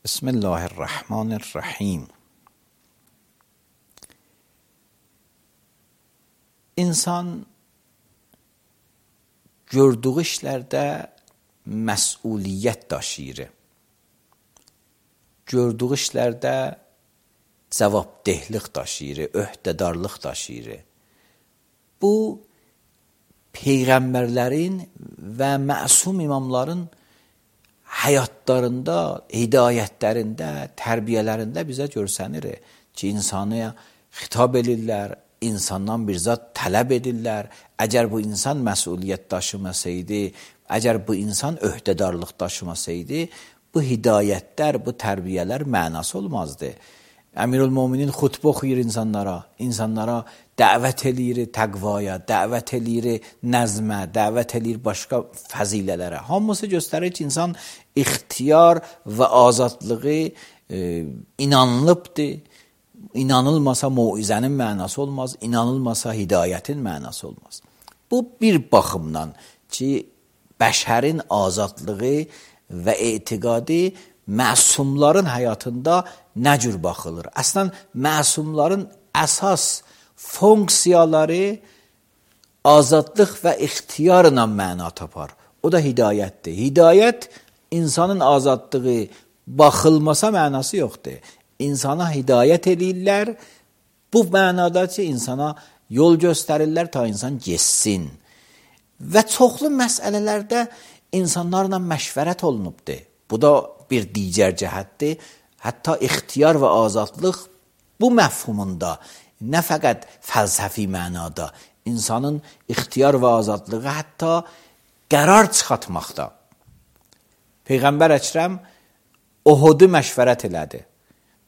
بسم الله الرحمن الرحیم. İnsan gördüğü işlərdə məsuliyyət daşıyır. Gördüğü işlərdə cavabdehlik daşıyır, öhdədarlıq daşıyır. Bu, peyğəmbərlərin və məsum imamların həyatlarında, hidayətlərində, tərbiyələrində bizə görsənir ki, insana xitab edirlər, insandan bir zat tələb edirlər. Əgər bu insan məsuliyyət daşımasaydı, əgər bu insan öhdədarlıq daşımasaydı, bu hidayətlər, bu tərbiyələr mənası olmazdı. Əmirül-Möminin xutbə oxuyur insanlara dəvət eləyir təqvaya, dəvət eləyir nəzmə, dəvət eləyir başqa fəzilələrə. Hamısı göstərir ki, insan ixtiyar və azadlığı inanılıbdır. İnanılmasa muizənin mənası olmaz, inanılmasa hidayətin mənası olmaz. Bu bir baxımdan ki, bəşərin azadlığı və etiqadı məsumların həyatında nə cür baxılır? Əslən, məsumların əsas funksiyaları azadlıq və ixtiyarla məna tapar. O da hidayətdir. Hidayət, insanın azadlığı baxılmasa mənası yoxdur. İnsana hidayət edirlər, bu mənada ki, insana yol göstərirlər ta insan geçsin. Və çoxlu məsələlərdə insanlarla məşvərət olunubdur. Bu da bir digər cəhətdir. Hətta ixtiyar və azadlıq bu məfhumunda, nə fəqət fəlsəfi mənada, insanın ixtiyar və azadlığı hətta qərar çıxartmaqda. Peyğəmbər Əkrəm Ohudu məşvərət elədi.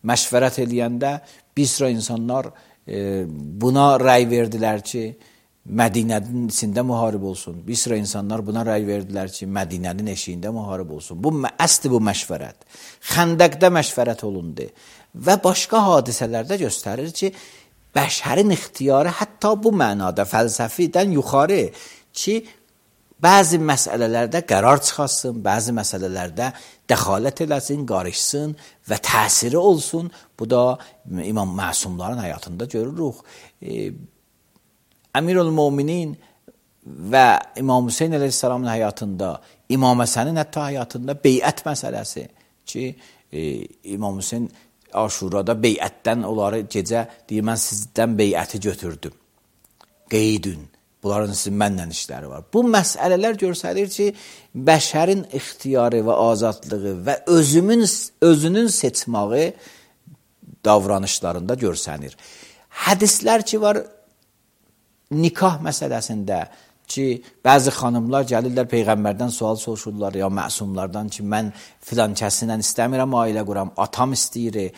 Məşvərət eləyəndə bir sıra insanlar buna rəy verdilər ki, Mədinənin içində müharib olsun. Bir sıra insanlar buna rəy verdilər ki, Mədinənin eşiyində müharib olsun. Əsli bu məşvərət. Xəndəqdə məşvərət olundu. Və başqa hadisələrdə göstərir ki, bəşərin ixtiyarı hətta bu mənada fəlsəfidən yuxarı ki, bəzi məsələlərdə qərar çıxarsın, bəzi məsələlərdə dəxalət eləsin, qarışsın və təsiri olsun. Bu da İmam Məsumların həyatında görürük. Əmirül-Möminin və İmam Hüseyin əleyhissalamın həyatında, İmam Həsənin hətta həyatında beyət məsələsi ki, İmam Hüseyin Aşurada beyətdən onları gecə deyir, mən sizdən beyəti götürdüm. Qeydün. Bunların sizin mənlə işləri var. Bu məsələlər göstərir ki, bəşərin ixtiyarı və azadlığı və özünün seçməyi davranışlarında görsənir. Hədislər ki var, nikah məsələsində ki, bəzi xanımlar gəlirlər Peyğəmbərdən sual soruşurlar ya məsumlardan ki, mən filan kəsinlə istəmirəm ailə quram, atam istəyir,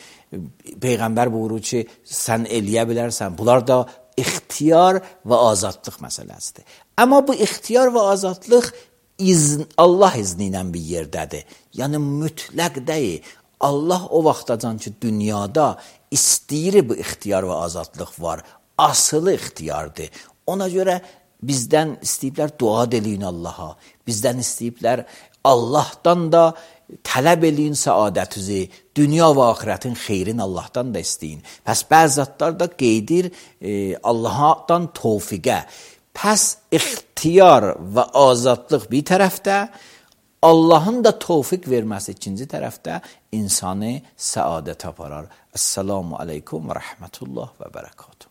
Peyğəmbər buyurur ki, sən eləyə bilərsən. Bunlar da ixtiyar və azadlıq məsələsidir. Amma bu ixtiyar və azadlıq Allah izni ilə bir yerdədir. Yəni mütləq deyil. Allah o vaxtacan ki, dünyada istəyir bu ixtiyar və azadlıq var. Asılı ixtiyardır. Ona görə bizdən istəyiblər dua eləyin Allaha. Bizdən istəyiblər Allahdan da tələb eləyin səadətinizi, dünya və axirətin xeyrini Allahdan da istəyin. Pəs bəzi zatlar da qeydir Allahdan tövfiqə. Pəs ixtiyar və azadlıq bir tərəfdə, Allahın da tövfiq verməsi ikinci tərəfdə insanı səadət aparar. Esselamu aleykum və rəhmətullah və bərəkatuhu.